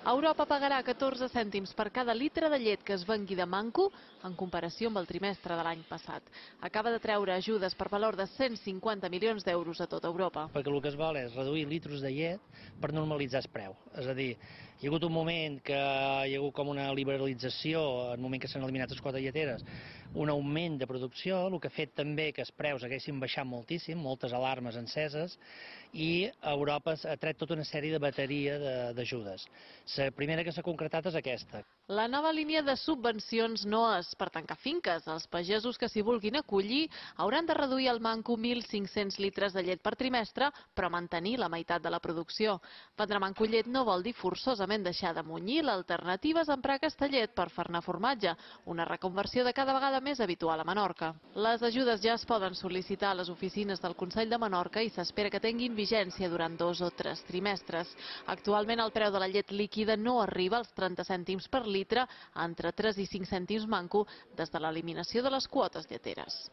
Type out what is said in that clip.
Europa pagarà 14 cèntims per cada litre de llet que es vengui de manco en comparació amb el trimestre de l'any passat. Acaba de treure ajudes per valor de 150 milions d'euros a tota Europa. Perquè el que es vol és reduir litros de llet per normalitzar el preu. És a dir, hi ha hagut un moment que hi ha hagut com una liberalització, en el moment que s'han eliminat les quotes lleteres, un augment de producció, el que ha fet també que els preus haguessin baixat moltíssim, moltes alarmes enceses, i Europa ha tret tota una sèrie de bateria d'ajudes. La primera que s'ha concretat és aquesta. La nova línia de subvencions no és per tancar finques. Els pagesos que s'hi vulguin acollir hauran de reduir al manco 1.500 litres de llet per trimestre, però mantenir la meitat de la producció. Vendre manco llet no vol dir forçosament deixar de munyir. L'alternativa és emprar aquesta llet per fer-ne formatge, una reconversió de cada vegada més habitual a Menorca. Les ajudes ja es poden sol·licitar a les oficines del Consell de Menorca i s'espera que tinguin vigència durant 2 o 3 trimestres. Actualment el preu de la llet líquida no arriba als 30 cèntims per litre, entre 3 i 5 cèntims manco des de l'eliminació de les quotes lleteres.